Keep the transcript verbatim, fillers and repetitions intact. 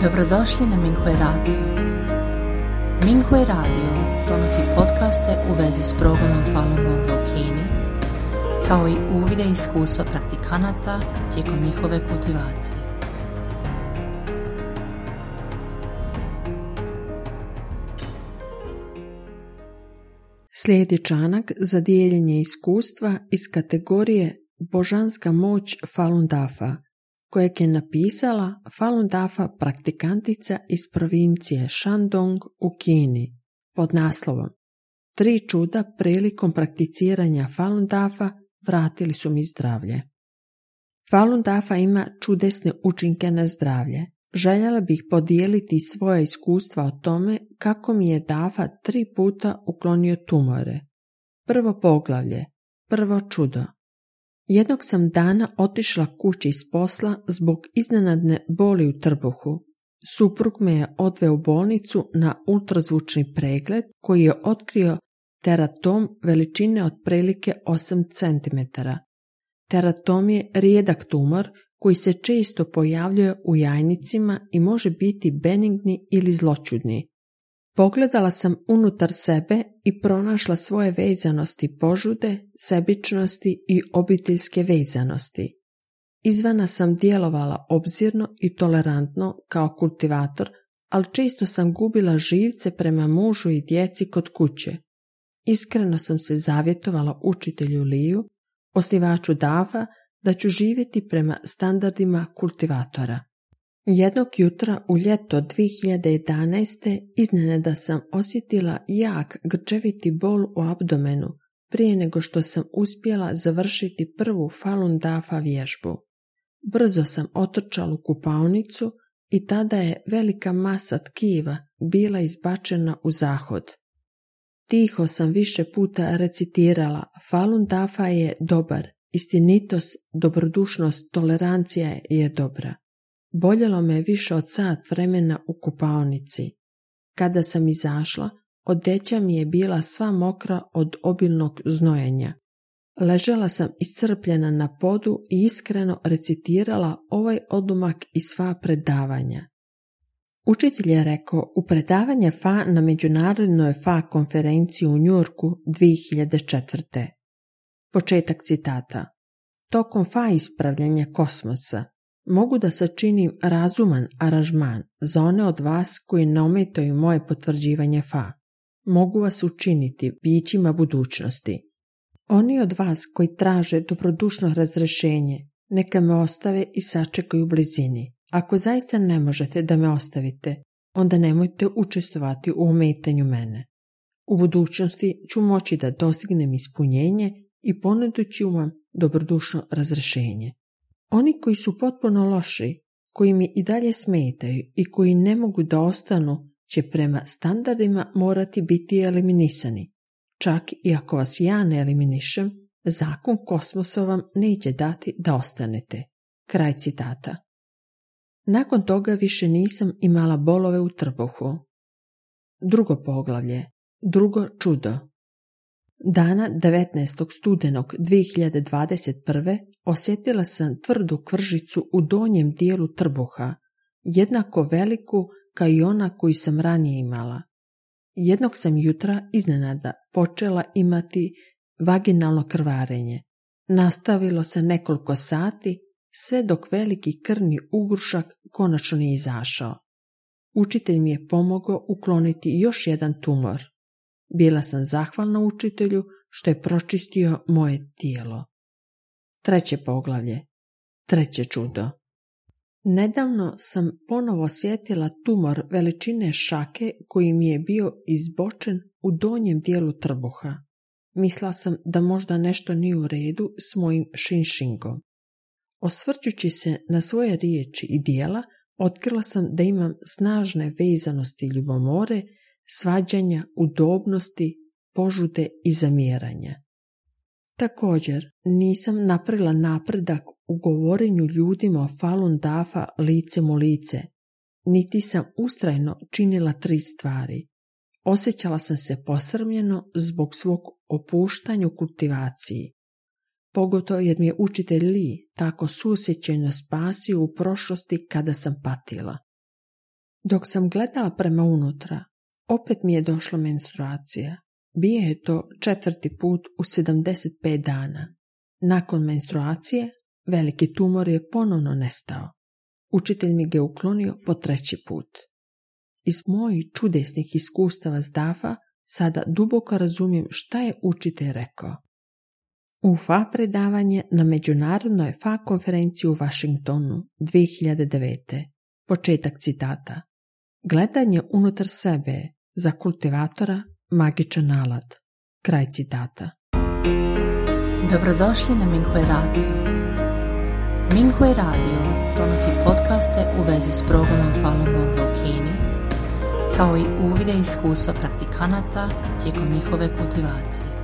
Dobrodošli na Minghui Radio. Minghui Radio donosi podcaste u vezi s progledom Falun Gonga u Kini, kao i uvide i iskustva praktikanata tijekom njihove kultivacije. Slijedi članak za dijeljenje iskustva iz kategorije Božanska moć Falun Dafa, kojeg je napisala Falun Dafa praktikantica iz provincije Shandong u Kini, pod naslovom Tri čuda prilikom prakticiranja Falun Dafa vratili su mi zdravlje. Falun Dafa ima čudesne učinke na zdravlje. Željela bih podijeliti svoja iskustva o tome kako mi je Dafa tri puta uklonio tumore. Prvo poglavlje, prvo čudo. Jednog sam dana otišla kući iz posla zbog iznenadne boli u trbuhu. Suprug me je odveo u bolnicu na ultrazvučni pregled koji je otkrio teratom veličine otprilike osam centimetara. Teratom je rijedak tumor koji se često pojavljuje u jajnicima i može biti benigni ili zloćudni. Pogledala sam unutar sebe i pronašla svoje vezanosti požude, sebičnosti i obiteljske vezanosti. Izvana sam djelovala obzirno i tolerantno kao kultivator, ali često sam gubila živce prema mužu i djeci kod kuće. Iskreno sam se zavjetovala učitelju Liju, osnivaču Dafa, da ću živjeti prema standardima kultivatora. Jednog jutra u ljeto dvije hiljade jedanaeste iznenada sam osjetila jak grčeviti bol u abdomenu prije nego što sam uspjela završiti prvu Falun Dafa vježbu. Brzo sam otrčala u kupaonicu i tada je velika masa tkiva bila izbačena u zahod. Tiho sam više puta recitirala: Falun Dafa je dobar, istinitost, dobrodušnost, tolerancija je dobra. Boljelo me više od sat vremena u kupaonici. Kada sam izašla, odeća mi je bila sva mokra od obilnog znojenja. Ležala sam iscrpljena na podu i iskreno recitirala ovaj odlomak i sva predavanja. Učitelj je rekao u predavanje Fa na međunarodnoj Fa konferenciji u Njujorku dvije hiljade četvrte. Početak citata. Tokom Fa ispravljanja kosmosa mogu da sačinim razuman aranžman za one od vas koji ne ometaju moje potvrđivanje Fa. Mogu vas učiniti bićima budućnosti. Oni od vas koji traže dobrodušno razrješenje, neka me ostave i sačekaju u blizini. Ako zaista ne možete da me ostavite, onda nemojte učestvovati u ometanju mene. U budućnosti ću moći da dostignem ispunjenje i ponudit ću vam dobrodušno razrješenje. Oni koji su potpuno loši, koji mi i dalje smetaju i koji ne mogu da ostanu, će prema standardima morati biti eliminisani. Čak i ako vas ja ne eliminišem, zakon kosmosa vam neće dati da ostanete. Kraj citata. Nakon toga više nisam imala bolove u trbuhu. Drugo poglavlje, drugo čudo. Dana devetnaestog studenog dvije hiljade dvadeset prve osjetila sam tvrdu kvržicu u donjem dijelu trbuha, jednako veliku kao i ona koju sam ranije imala. Jednog sam jutra iznenada počela imati vaginalno krvarenje. Nastavilo se nekoliko sati, sve dok veliki krvni ugrušak konačno nije izašao. Učitelj mi je pomogao ukloniti još jedan tumor. Bila sam zahvalna učitelju što je pročistio moje tijelo. Treće poglavlje, treće čudo. Nedavno sam ponovo osjetila tumor veličine šake koji mi je bio izbočen u donjem dijelu trbuha. Mislila sam da možda nešto nije u redu s mojim šinšingom. Osvrćući se na svoje riječi i dijela, otkrila sam da imam snažne vezanosti ljubomore, svađanja, udobnosti, požude i zamjeranja. Također, nisam napravila napredak u govorenju ljudima o Falun Dafa licem u lice, niti sam ustrajno činila tri stvari. Osjećala sam se posrmljeno zbog svog opuštanja u kultivaciji. Pogotovo jer mi je učitelj Li tako suosjećajno spasio u prošlosti kada sam patila. Dok sam gledala prema unutra, opet mi je došla menstruacija. Bio je to četvrti put u sedamdeset pet dana. Nakon menstruacije, veliki tumor je ponovno nestao. Učitelj mi ga je uklonio po treći put. Iz mojih čudesnih iskustava s Dafa sada duboko razumijem šta je učitelj rekao. U F A predavanje na međunarodnoj F A konferenciji u Washingtonu dvije hiljade devete. Početak citata. Gledanje unutar sebe za kultivatora magičan alat. Kraj citata. Dobrodošli na Minghui Radio. Minghui Radio donosi podcaste u vezi s progledom Falun Gonga u Kini, kao i uvide iskustva praktikanata tijekom njihove kultivacije.